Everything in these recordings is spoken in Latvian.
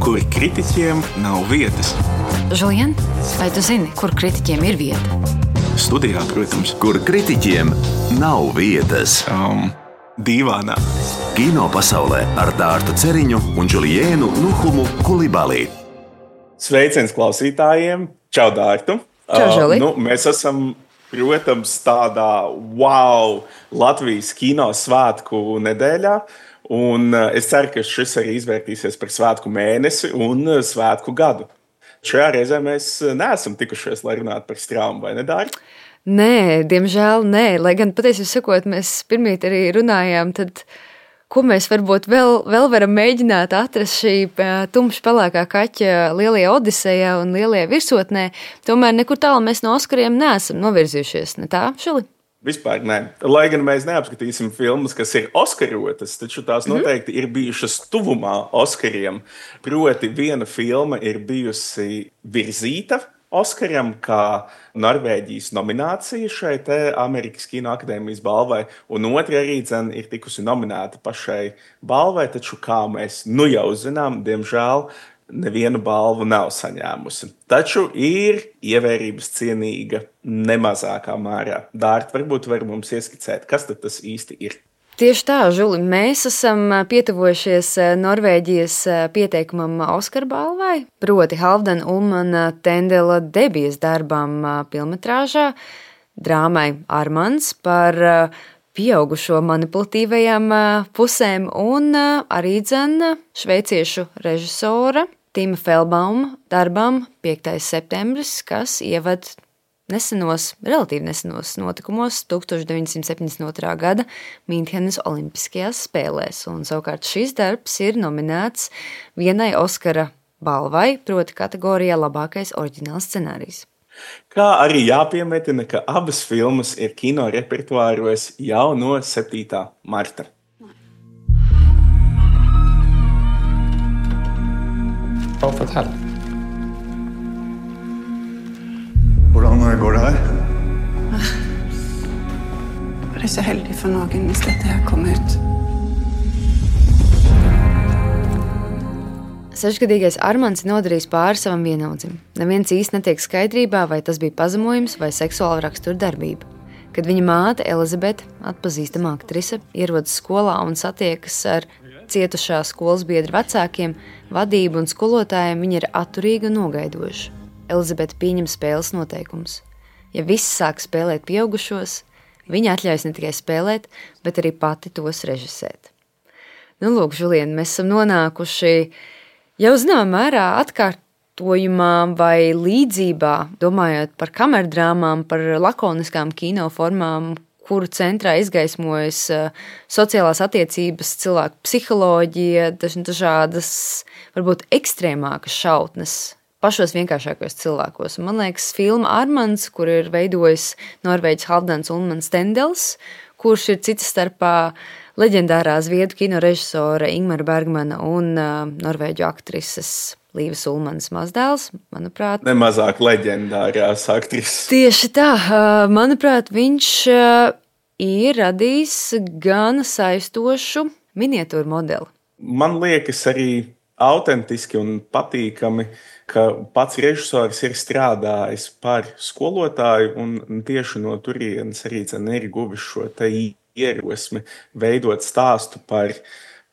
kur kritiķiem nav vietas. Žulien, vai tu zini, kur kritiķiem ir vieta? Studijā, protams. Kur kritiķiem nav vietas. Dīvānā. Kino pasaulē ar Dārtu Ceriņu un Juliēnu Nuhumu Kulibalī. Sveiciens klausītājiem! Čau, Dārtu! Čau, Žuli! Mēs esam, protams, tādā Latvijas kino svētku nedēļā. Un es ceru, ka šis arī izvērtīsies par svētku mēnesi un svētku gadu. Šajā reizē mēs neesam tikušies, lai runātu par straumu, vai ne, Dārta? Nē, diemžēl nē. Lai gan patiesībā sakot, mēs pirmīt arī runājām, tad ko mēs varbūt vēl varam mēģināt atrast šī tumša pelēkā kaķa lielajā Odisejā un lielajā virsotnē, tomēr nekur tālu mēs no Oskariem neesam novirzījušies, ne tā, Žuli? Vispār nē. Lai gan mēs neapskatīsim filmas, kas ir oskarotas, taču tās noteikti ir bijušas tuvumā Oskariem. Proti, viena filma ir bijusi virzīta Oskaram kā Norvēģijas nominācija šai te Amerikas Kino akadēmijas balvai, un otra arī ir tikusi nominēta pašai balvai, taču, kā mēs nu jau zinām, diemžēl nevienu balvu nav saņēmusi. Taču ir ievērības cienīga nemazākā mērā. Dārta, varbūt var mums ieskicēt, kas tad tas īsti ir? Tieši tā, Žuli, mēs esam pietuvojušies Norvēģijas pieteikumam Oskar balvai, proti Halfdana Ullmana Tendela debijas darbam filmetrāžā, drāmai Armans par pieaugušo manipulatīvajām pusēm un arī šveiciešu režisora Tima Feldbauma darbam 5. septembris, kas ieved relatīvi nesenos notikumos 1972. gada Mīnhenes Olimpiskajās spēlēs. Un savukārt šis darbs ir nominēts vienai Oskara balvai, proti kategorijā labākais oriģināls scenārijs. Kā arī jāpiemetina, ka abas filmas ir kino repertuāros jau no 7. marta. Fortell. Hvordan går det her? Det er så heldig for noen hvis dette her kommer ut. 6-gadīgais Armans ir nodarījis pāri savam vienaudzim. Neviens īsti netiek skaidrībā, vai tas bija pazemojums vai seksuāla rakstura darbība. Kad viņa māte Elizabete, atpazīstama aktrise, ierodas skolā un satiekas ar cietušā skolas biedru vecākiem, vadību un skolotājiem, viņa ir atturīga un nogaidoša. Elizabete pieņem spēles noteikumus. Ja visi sāk spēlēt pieaugušos, viņa atļaujas ne tikai spēlēt, bet arī pati tos režisēt. Lūk, Žulien, mēs esam nonākuši jau zināmā mērā atkārtojumā vai līdzībā, domājot par kamerdrāmām, par lakoniskām kinoformām, kuru centrā izgaismojas sociālās attiecības, cilvēku psiholoģija, dažādas, varbūt ekstrēmākas šautnes pašos vienkāršākos cilvēkos. Un man liekas, filma Armans, kur ir veidojis Norvēģis Halfdans Ullmans Tendels, kurš ir cita starpā leģendārā zviedru kino režisora Ingmara Bergmana un norvēģu aktrises Līves Ullmanas mazdēls, manuprāt. Nemazāk leģendārās aktrises. Tieši tā, manuprāt, viņš ir radījis gan saistošu miniatūru modeli. Man liekas arī autentiski un patīkami, ka pats režisors ir strādājis par skolotāju un tieši no turienes arī ir guvis šo te ierosmi veidot stāstu par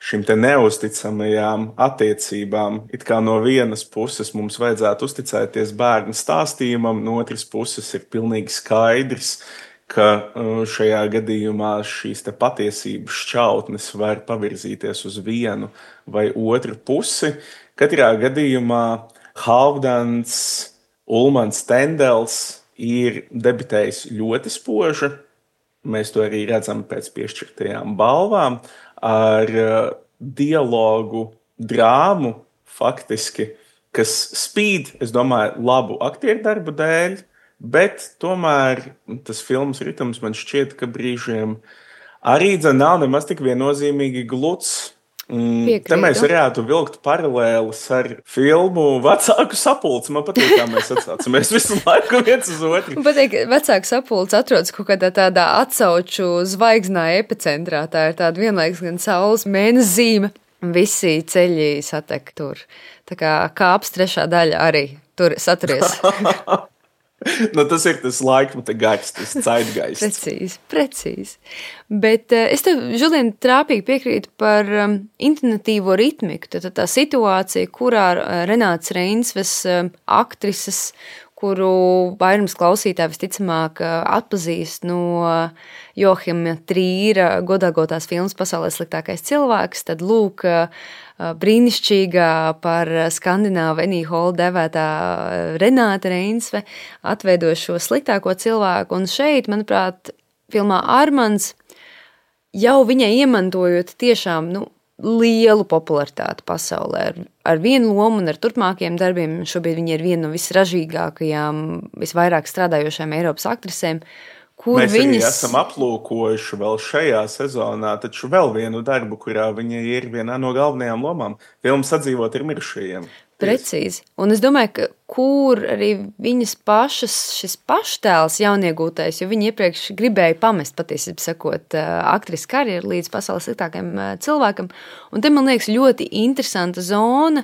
šīm te neusticamajām attiecībām. It kā no vienas puses mums vajadzētu uzticēties bērnu stāstījumam, no otras puses ir pilnīgi skaidrs, ka šajā gadījumā šīs te patiesības šķautnes var pavirzīties uz vienu vai otru pusi. Katrā gadījumā Halfdans Ullmans Tendels ir debitējis ļoti spoži. Mēs to arī redzam pēc piešķirtajām balvām ar dialogu, drāmu faktiski, kas spīd, es domāju, labu aktieru darbu dēļ, bet tomēr tas filmas ritms man šķiet, ka brīžiem arī nav nemaz tik viennozīmīgi gluds. Te mēs varētu vilkt paralēlis ar filmu Vecāku sapulci. Man patīk, kā mēs atsaucamies visu laiku viens uz otru. Man patīk, Vecāku sapulci atrodas kaut kādā tādā atsauču zvaigznā epicentrā. Tā ir tāda vienlaiks gan saules mēnesi zīme. visi ceļi satek tur. Tā kā kāps 3. daļa arī tur saturies. Tas ir tas laikmeta gars, tas zeitgaists. Precīzi. Bet es tev, Žulien, trāpīgi piekrītu par intonatīvo ritmiku. Tad tā situācija, kurā Renāts Reinsves aktrises, kuru vairums klausītāji visticamāk atpazīst no Johima Trīra godāgotās filmas Pasaulē sliktākais cilvēks, tad lūk, brīnišķīgā par skandināvu Annie Hall devētā Renāta Reinsve atveido šo sliktāko cilvēku, un šeit, manuprāt, filmā Armands jau viņai iemantojot tiešām, lielu popularitāti pasaulē ar vienu lomu un ar turpmākajiem darbiem. Šobrīd viņa ir viena no visražīgākajām, visvairāk strādājošajām Eiropas aktrisēm, kur mēs arī esam aplūkojuši vēl šajā sezonā, taču vēl vienu darbu, kurā viņa ir vienā no galvenajām lomām. Filma Sadzīvot ar mirušajiem. Precīzi. Un es domāju, ka kur arī viņas pašas šis paštēls jauniegūtais, jo viņa iepriekš gribēja pamest, patiesībā sakot, aktrises karjeru līdz pasaules sliktākajam cilvēkam. Un te, man liekas, ļoti interesanta zona,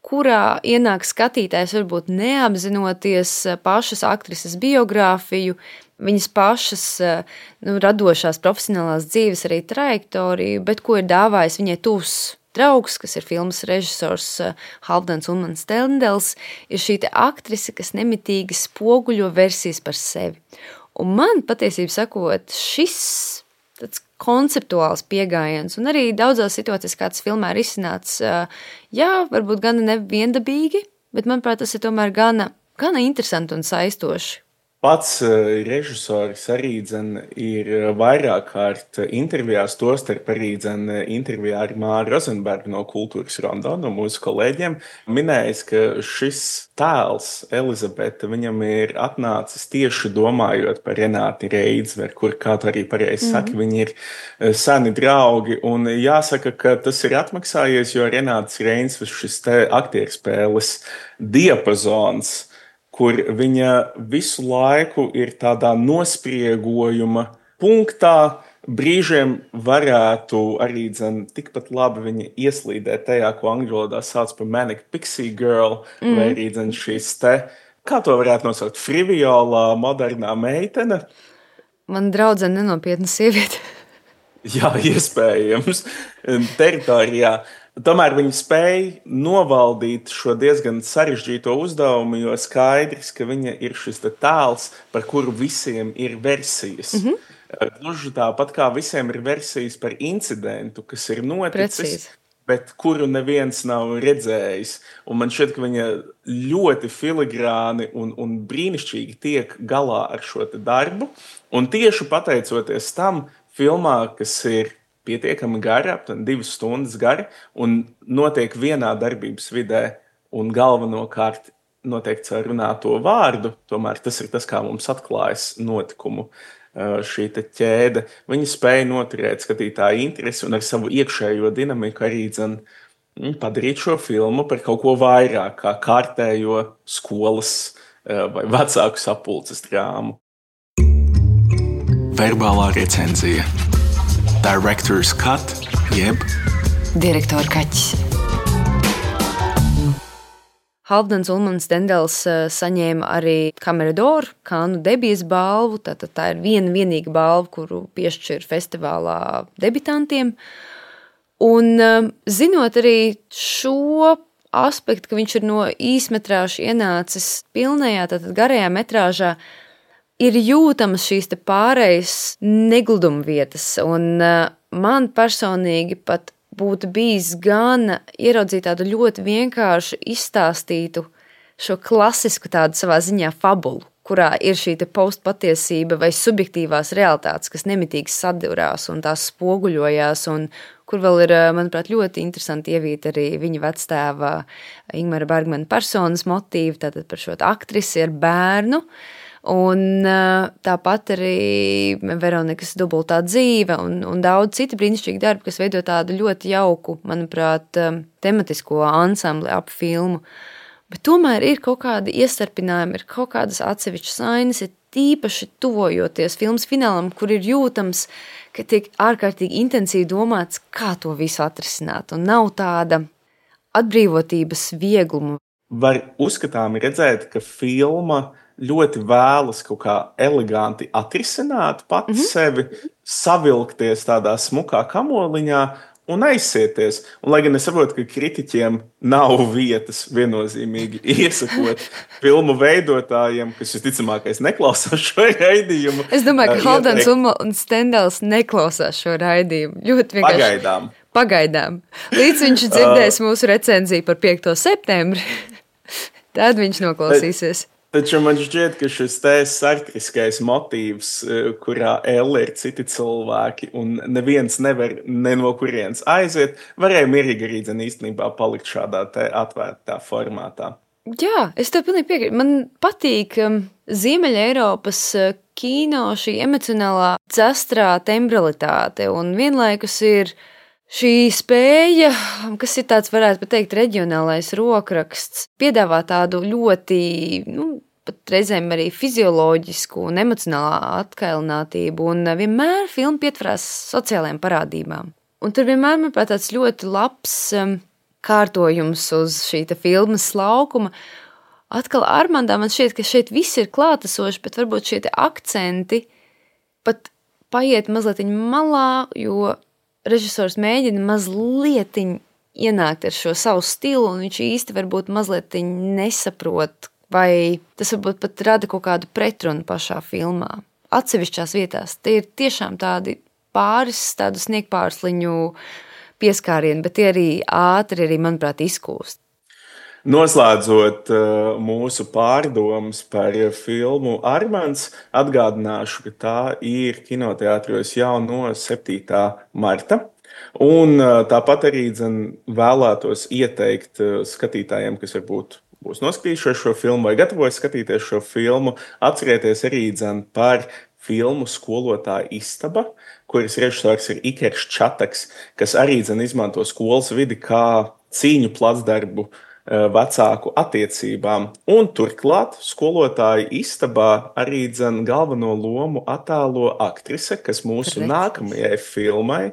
kurā ienāk skatītājs varbūt neapzinoties pašas aktrises biogrāfiju, viņas pašas radošās profesionālās dzīves arī trajektoriju, bet ko ir dāvājis viņai tuvs draugs, kas ir filmas režisors Halfdans Ulmans Stendels, ir šī aktrise, kas nemitīgi spoguļo versijas par sevi. Un man, patiesībā sakot, šis tāds konceptuāls pieejams, un arī daudzās situācijās, kā tas filmā ir izcināts, varbūt gana neviendabīgi, bet, manuprāt, tas ir tomēr gana interesanti un saistoši. Pats režisors arī ir vairāk kārt intervijās, tostarp arī intervijā ar Māru Rozenbergu no Kultūras Rondo, no mūsu kolēģiem, minējis, ka šis tēls, Elizabete, viņam ir atnācis tieši domājot par Renāti Reinsveri, kur, kā tu arī pareizi saki, viņi ir seni draugi, un jāsaka, ka tas ir atmaksājies, jo Renāts Reinsvers šis te aktierspēles diapazons, kur viņa visu laiku ir tādā nospriegojuma punktā, brīžiem varētu arī tikpat labi viņa ieslīdēt tajā, ko angļu valodā sauc par manic pixie girl, vai arī šīs te, kā to varētu nosaukt, friviolā, modernā meitene. Man draudzene nenopietna sieviete. Jā, iespējams, teritorijā. Tomēr viņi spēja novaldīt šo diezgan sarežģīto uzdevumu, jo skaidrs, ka viņa ir šis tēls, par kuru visiem ir versijas. Gluži tāpat kā visiem ir versijas par incidentu, kas ir noticis, bet kuru neviens nav redzējis. Un man šķiet, ka viņa ļoti filigrāni un brīnišķīgi tiek galā ar šo darbu. Un tieši pateicoties tam filmā, kas ir pietiekami gara, aptuveni 2 stundas gara, un notiek vienā darbības vidē, un galvenokārt notiek caur runāto vārdu, tomēr tas ir tas, kā mums atklājas notikumu šī ķēde. Viņi spēja noturēt skatītāju interesi un ar savu iekšējo dinamiku arī padarīt šo filmu par kaut ko vairāk, kā kārtējo skolas vai vecāku sapulces drāmu. Verbālā recenzija. Director's cut, jeb direktora kaķis. Halfdans Ulmans Stendels saņēma arī Camera d'Or, Kānu debijas balvu. Tā ir vienīga balva, kuru piešķir festivālā debitantiem. Un zinot arī šo aspektu, ka viņš ir no īsmetrāža ienācis pilnajā, tātad garajā metrāžā, ir jūtamas šīs pārējas negluduma vietas, un man personīgi pat būtu bijis gan ieraudzīt tādu ļoti vienkārši izstāstītu šo klasisku tādu savā ziņā fabulu, kurā ir šī postpatiesība vai subjektīvās realitātes, kas nemitīgi sadurās un tās spoguļojās, un kur vēl ir, manuprāt, ļoti interesanti ievīt arī viņa vectēva Ingmara Bergmana personas motīvu, tātad par šo aktrisi ar bērnu. Un tāpat arī Veronikas dubultā dzīve un daudz citu brīnišķīgu darbu, kas veido tādu ļoti jauku, manuprāt, tematisko ansambli ap filmu. Bet tomēr ir kaut kādi iestarpinājumi, ir kaut kādas atsevišķas ainas, ir tīpaši tuvojoties filmas finālam, kur ir jūtams, ka tiek ārkārtīgi intensīvi domāts, kā to visu atrisināt, un nav tāda atbrīvotības viegluma. Var uzskatāmi redzēt, ka filma ļoti vēlas kaut kā eleganti atrisināt pati sevi, savilkties tādā smukā kamoliņā un aizsieties. Un, lai gan es saprotu, ka kritiķiem nav vietas viennozīmīgi iesakot filmu veidotājiem, kas visticamākais neklausās šo raidījumu. Es domāju, ka Haldens un Stendels neklausās šo raidījumu. Ļoti vienkārši. Pagaidām. Līdz viņš dzirdēs mūsu recenziju par 5. septembri, tad viņš noklausīsies. Taču man šķiet, ka šis te sartriskais motīvs, kurā Elle ir citi cilvēki un neviens nevar ne no kurienes aiziet, varēja mierīgi arī īstenībā palikt šādā te atvērtā formātā. Jā, es tev pilnīgi piekrītu. Man patīk Ziemeļa Eiropas kino šī emocionālā dzastrā tembralitāte un vienlaikus ir šī spēja, kas ir tāds, varētu pateikt, reģionālais rokraksts, piedāvā tādu ļoti, pat reizēm arī fizioloģisku un emocionālā atkailinātību, un vienmēr filma pietvarās sociālajām parādībām. Un tur vienmēr, manuprāt, tāds ļoti labs kārtojums uz šī filmas laukuma. Atkal Armandā man šķiet, ka šeit viss ir klātesoši, bet varbūt šie akcenti pat paiet mazliet malā, jo režisors mēģina mazliet ienākt ar šo savu stilu, un viņš īsti varbūt mazliet nesaprot, vai tas varbūt pat rada kaut kādu pretrunu pašā filmā. Atsevišķās vietās tie ir tiešām tādi tādu sniegpārsliņu pieskārieni, bet tie arī ātri, manuprāt, izkūst. Noslēdzot mūsu pārdomas par filmu Armands, atgādināšu, ka tā ir kinoteātros jau no 7. marta. Un tāpat arī vēlētos ieteikt skatītājiem, kas varbūt būs noskatījušies šo filmu vai gatavojas skatīties šo filmu, atcerieties arī par filmu Skolotāja istaba, kuras režisors ir Ikers Čataks, kas arī izmanto skolas vidi kā cīņu placdarbu vecāku attiecībām. Un turklāt Skolotāja istabā arī galveno lomu attēlo aktrise, kas mūsu nākamajai filmai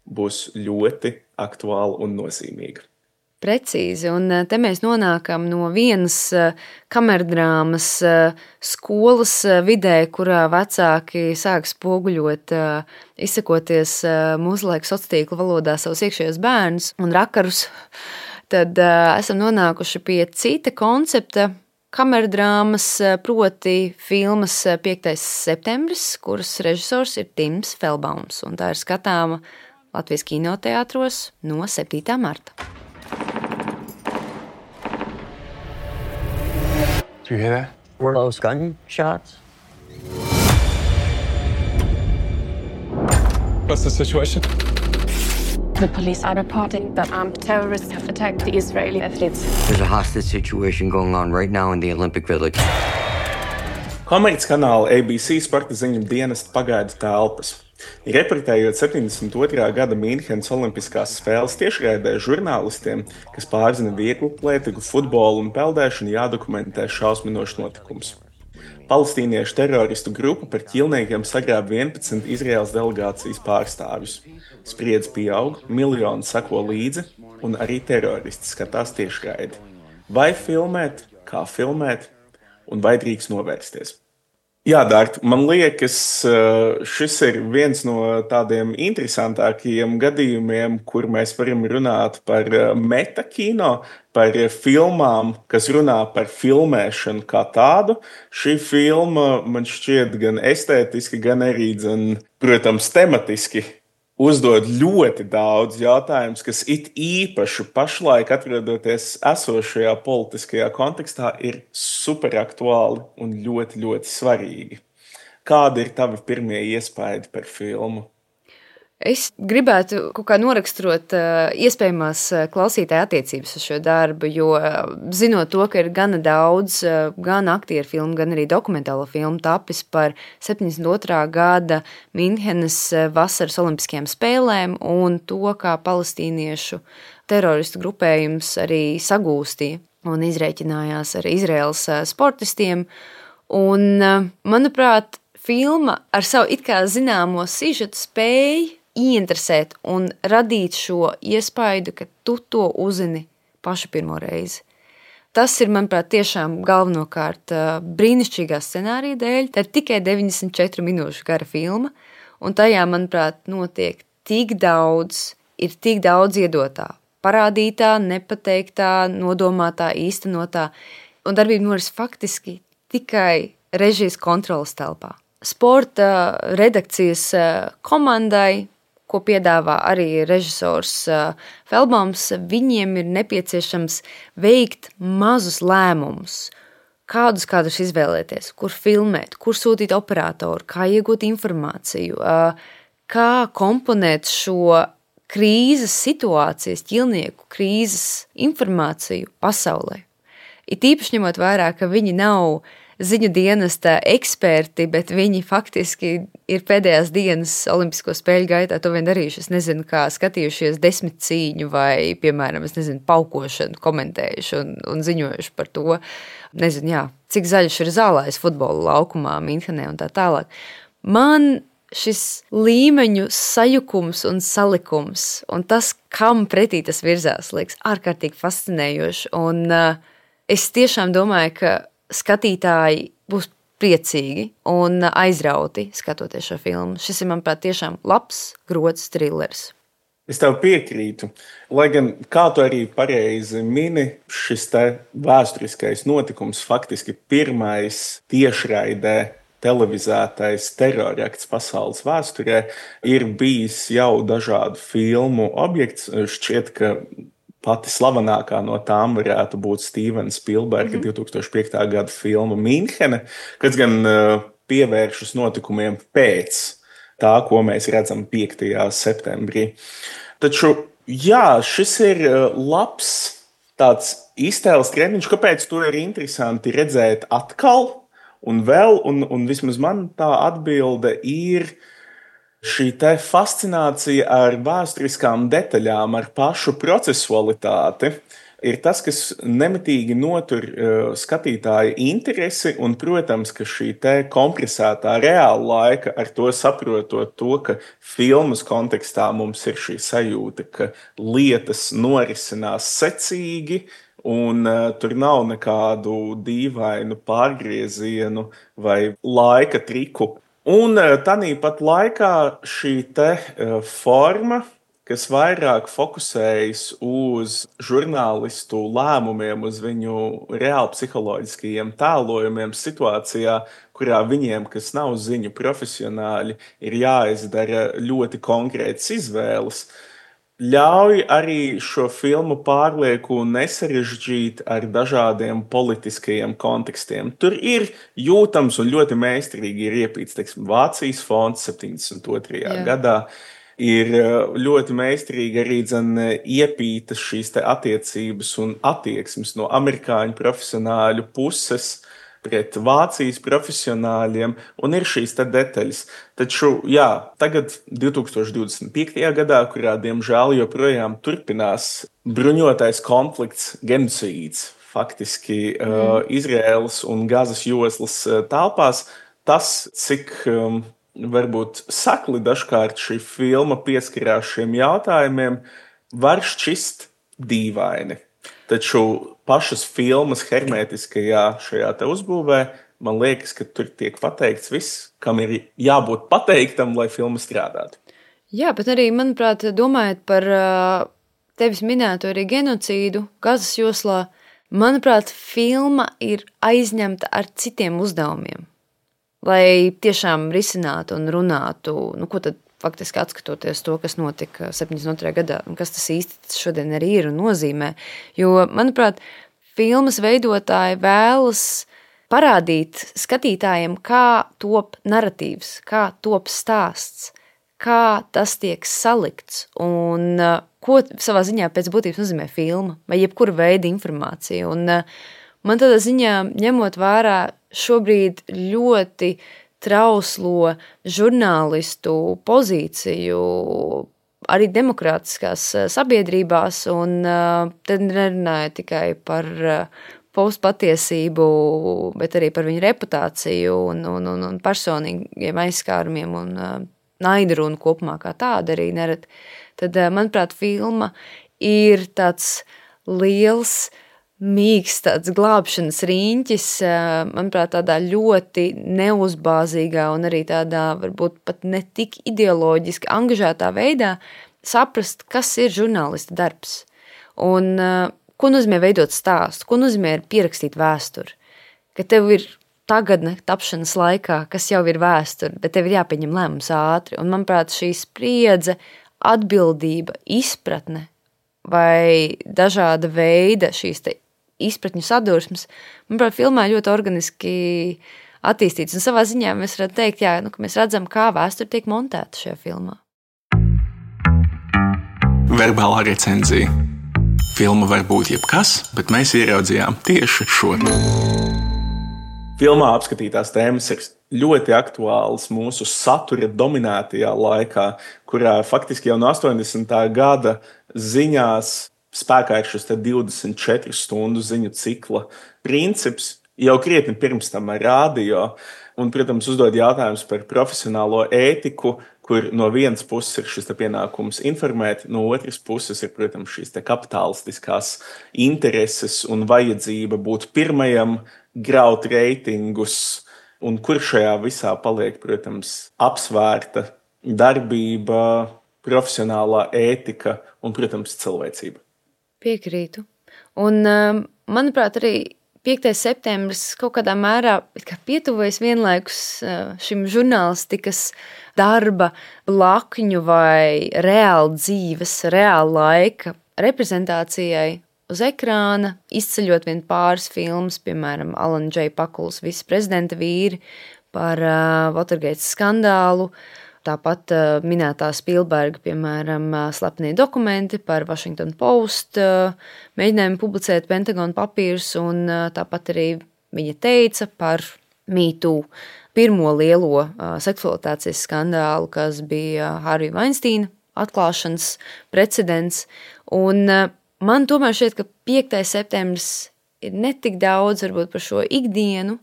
būs ļoti aktuāla un nozīmīga. Precīzi, un te mēs nonākam no vienas kamerdrāmas skolas vidē, kurā vecāki sāk spoguļot, izsakoties mūsdienu sociālo tīklu valodā savus iekšējos bērnus un rakarus. Tad esam nonākuši pie cita koncepta kamerdrāmas, proti filmas 5. septembris, kuras režisors ir Tims Felbaums, un tā ir skatāma Latvijas kinoteātros no 7. marta. Do you hear that? Were those gunshots? What's the situation? The police are reporting that armed terrorists have attacked the Israeli athletes. There's a hostage situation going on right now in the Olympic Village. Komerckanāla ABC sporta ziņu dienesta pagaidu telpas. Reportējot 72. gada Mīnhenes Olimpiskās spēles tiešraidē žurnālistiem, kas pārzina vieglu atlētiku, futbolu un peldēšanu, jādokumentē šausminošs notikums. Palestīniešu teroristu grupa par ķīlniekiem sagrāba 11 Izraēlas delegācijas pārstāvjus. Spriedze pieaug, miljoni seko līdzi, un arī teroristi skatās tiešraidi. Vai filmēt, kā filmēt, un vai drīkst novērsties? Jā, Dārta, man liekas, šis ir viens no tādiem interesantākajiem gadījumiem, kur mēs varam runāt par metakino, par filmām, kas runā par filmēšanu kā tādu. Šī filma man šķiet gan estētiski, gan arī, protams, tematiski uzdod ļoti daudz jautājumus, kas it īpaši pašlaik atrodoties esošajā politiskajā kontekstā ir superaktuāli un ļoti, ļoti svarīgi. Kādi ir tavi pirmie iespaidi par filmu? Es gribētu kaut kā noraksturot iespējamās klausītāja attiecības uz šo darbu, jo zinot to, ka ir gana daudz gan aktieru filmu, gan arī dokumentālo filmu tapis par 72. gada Mīnhenes vasaras olimpiskajām spēlēm un to, kā palestīniešu teroristu grupējums arī sagūstīja un izrēķinājās ar Izraēlas sportistiem. Un, manuprāt, filma ar savu it kā zināmo sižetu spēja ieinteresēt un radīt šo iespaidu, ka tu to uzzini pašu pirmo reizi. Tas ir, manuprāt, tiešām galvenokārt brīnišķīgā scenārija dēļ. Tā ir tikai 94 minūšu gara filma, un tajā, manuprāt, notiek tik daudz iedotā, parādītā, nepateiktā, nodomātā, īstenotā, un darbība noris faktiski tikai režijas kontrolas telpā. Sporta redakcijas komandai, ko piedāvā arī režisors Feldbaums, viņiem ir nepieciešams veikt mazus lēmumus, kādus izvēlēties, kur filmēt, kur sūtīt operatoru, kā iegūt informāciju, kā komponēt šo krīzes situācijas, ķilnieku krīzes informāciju pasaulē. It īpaši ņemot vērā, ka viņi nav ziņu dienesta eksperti, bet viņi faktiski ir pēdējās dienas olimpisko spēļu gaitā to vien darījuši. Es nezinu, kā skatījušies 10 cīņu vai, piemēram, paukošanu komentējuši un ziņojuši par to. Nezinu, cik zaļš ir zālājs futbola laukumā Minhenē un tā tālāk. Man šis līmeņu sajukums un salikums un tas, kam pretī tas virzās, liekas ārkārtīgi fascinējoši. Un es tiešām domāju, ka skatītāji būs priecīgi un aizrauti skatoties šo filmu. Šis ir, manuprāt, tiešām labs, grods trilers. Es tev piekrītu. Lai gan, kā tu arī pareizi mini, šis te vēsturiskais notikums, faktiski pirmais tiešraidē televizētais terorakts pasaules vēsturē, ir bijis jau dažādu filmu objekts. Šķiet, ka pati slavenākā no tām varētu būt Stevena Spielberga 2005. Gada filma Minhene, kas gan pievēršas notikumiem pēc tā, ko mēs redzam 5. septembrī. Taču, šis ir labs tāds iztēles treniņš, kāpēc to ir interesanti redzēt atkal un vēl, un vismaz man tā atbilde ir šī te fascinācija ar vēsturiskām detaļām, ar pašu procesualitāti, ir tas, kas nemitīgi notur skatītāja interesi, un, protams, ka šī te kompresētā reāla laika, ar to saprotot to, ka filmas kontekstā mums ir šī sajūta, ka lietas norisinās secīgi, un tur nav nekādu dīvainu pārgriezienu vai laika triku. Un tāpat laikā šī te forma, kas vairāk fokusējas uz žurnālistu lēmumiem, uz viņu reāli psiholoģiskajiem tēlojumiem situācijā, kurā viņiem, kas nav ziņu profesionāļi, ir jāizdara ļoti konkrētas izvēles, ļauj arī šo filmu pārlieku nesarežģīt ar dažādiem politiskajiem kontekstiem. Tur ir jūtams un ļoti meistarīgi ir iepīts, Vācijas fonds 72. gadā. Ir ļoti meistarīgi arī iepītas šīs te attiecības un attieksmes no amerikāņu profesionāļu puses pret Vācijas profesionāļiem, un ir šīs te detaļas. Taču, tagad 2025. gadā, kurā, diemžēl, joprojām turpinās bruņotais konflikts, genocīds, faktiski Izraēlas un Gazas joslas telpās, tas, cik varbūt sakli dažkārt šī filma pieskarās šiem jautājumiem, var šķist dīvaini. Taču pašas filmas hermētiskajā šajā te uzbūvē, man liekas, ka tur tiek pateikts viss, kam ir jābūt pateiktam, lai filma strādātu. Jā, bet arī, manuprāt, domājot par tevis minēto arī genocīdu Gazas joslā, manuprāt, filma ir aizņemta ar citiem uzdevumiem, lai tiešām risinātu un runātu, ko tad faktiski atskatoties to, kas notika 72. gadā, un kas tas īsti šodien arī ir un nozīmē. Jo, manuprāt, filmas veidotāji vēlas parādīt skatītājiem, kā top naratīvs, kā top stāsts, kā tas tiek salikts un ko savā ziņā pēc būtības nozīmē filma vai jebkura veida informācija. Un man tādā ziņā, ņemot vērā šobrīd ļoti trauslo žurnālistu pozīciju arī demokrātiskās sabiedrībās, un tad nerunāju tikai par postpatiesību, bet arī par viņu reputāciju un personīgiem aizskārumiem un naidrunu kopumā kā tāda arī nerad. Tad, manuprāt, filma ir tāds liels, mīgs tāds glābšanas riņķis, manuprāt, tādā ļoti neuzbāzīgā un arī tādā varbūt pat ne tik ideoloģiski angažētā veidā saprast, kas ir žurnālista darbs. Un ko nozīmē veidot stāstu, ko nozīmē pierakstīt vēsturi. Ka tev ir tagadne tapšanas laikā, kas jau ir vēsture, bet tev ir jāpieņem lēmums ātri. Un, manuprāt, šī spriedze, atbildība, izpratne vai dažāda veida šīs te izpratņu sadursmes, manuprāt, filmā ļoti organiski attīstīts. Un savā ziņā mēs varētu teikt, ka mēs redzam, kā vēsture tiek montēta šajā filmā. Verbālā recenzija. Filma var būt jebkas, bet mēs ieraudzījām tieši šo. Filmā apskatītās tēmas ir ļoti aktuālas mūsu satura dominētajā laikā, kurā faktiski jau no 80. gada ziņās spēkā ir šis 24 stundu ziņu cikla princips, jau krietni pirms tam ar radio, un, protams, uzdod jautājums par profesionālo ētiku, kur no vienas puses ir šis pienākums informēt, no otras puses ir, protams, šīs kapitalistiskās intereses un vajadzība būt pirmajam, graut reitingus, un kur šajā visā paliek, protams, apsvērta darbība, profesionālā ētika un, protams, cilvēcība. Piekrītu. Un, manuprāt, arī 5. septembris kaut kādā mērā pietuvojas vienlaikus šim žurnālistikas darba blakņu vai reāli dzīves, reāli laika reprezentācijai uz ekrāna, izceļot vien pāris filmas, piemēram, Alana J. Pakulas Visi prezidenta vīri par Watergate skandālu, tāpat minētā Spielberga, piemēram, slepenie dokumenti par Washington Post, mēģinājumu publicēt Pentagona papīrus, un tāpat arī viņa teica par Me Too, pirmo lielo seksualitācijas skandālu, kas bija Harvey Weinsteina atklāšanas precedents. Un man tomēr šķiet, ka 5. septembris ir ne tik daudz varbūt par šo ikdienu,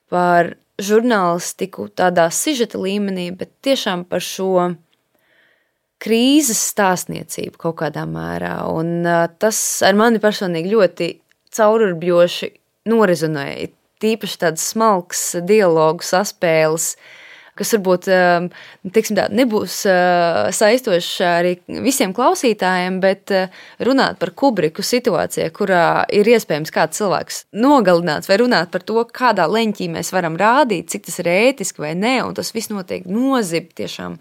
par žurnālistiku tādā sižeta līmenī, bet tiešām par šo krīzes stāstniecību kaut kādā mērā. Un tas ar mani personīgi ļoti caururbjoši norezonēja. Tīpaši tāds smalks dialogu saspēles, kas varbūt nebūs saistošs arī visiem klausītājiem, bet runāt par Kubriku situācijā, kurā ir iespējams kāds cilvēks nogalināts, vai runāt par to, kādā leņķī mēs varam rādīt, cik tas ir ētiski vai nē, un tas viss notiek nozib tiešām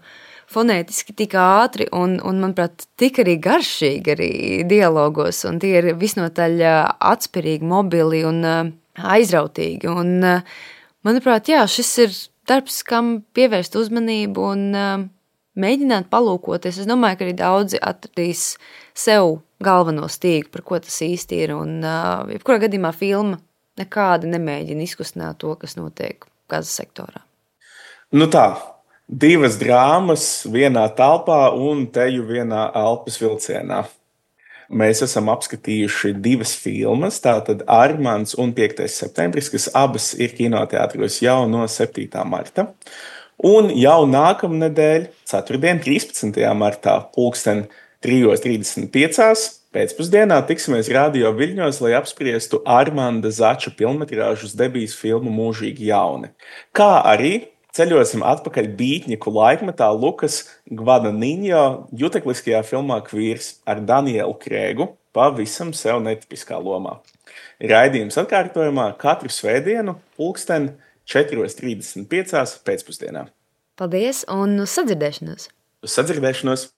fonētiski tik ātri un manuprāt, tik arī garšīgi arī dialogos, un tie ir visnotaļ atspirīgi, mobili un aizrautīgi. Un, manuprāt, šis ir darbs, kam pievērst uzmanību un mēģināt palūkoties. Es domāju, ka arī daudzi atradīs sev galveno stīgu, par ko tas īsti ir. Un jebkurā gadījumā filma nekādi nemēģina izkustināt to, kas notiek Gazas sektorā. Nu tā, 2 drāmas vienā telpā un teju vienā elpas vilcienā. Mēs esam apskatījuši 2 filmas, tātad Armands un 5. septembris, kas abas ir kinoteātros jau no 7. marta. Un jau nākamnedēļ, ceturtdien, 13. martā, 3:35 pēcpusdienā tiksimies Radio Viļņos, lai apspriestu Armanda Zača pilnmetrāžas debijas filmu Mūžīgi jauni. Kā arī ceļosim atpakaļ bītņiku laikmetā Lukas Gvadaniņo jutekliskajā filmā Kvīrs ar Danielu Krēgu pavisam sev netipiskā lomā. Raidījums atkārtojumā katru svētdienu 4:35 pēcpusdienā. Paldies un uz sadzirdēšanos! Uz sadzirdēšanos!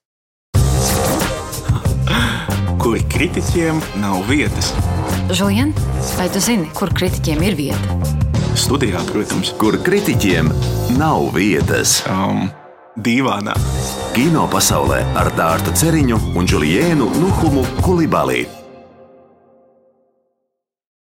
Kur kritiķiem nav vietas. Žulien, vai tu zini, kur kritiķiem ir vieta? Studijā, protams. Kur kritiķiem nav vietas. Dīvānā. Kino pasaulē ar Dārtu Ceriņu un Juliēnu Nuhumu Kulibalī.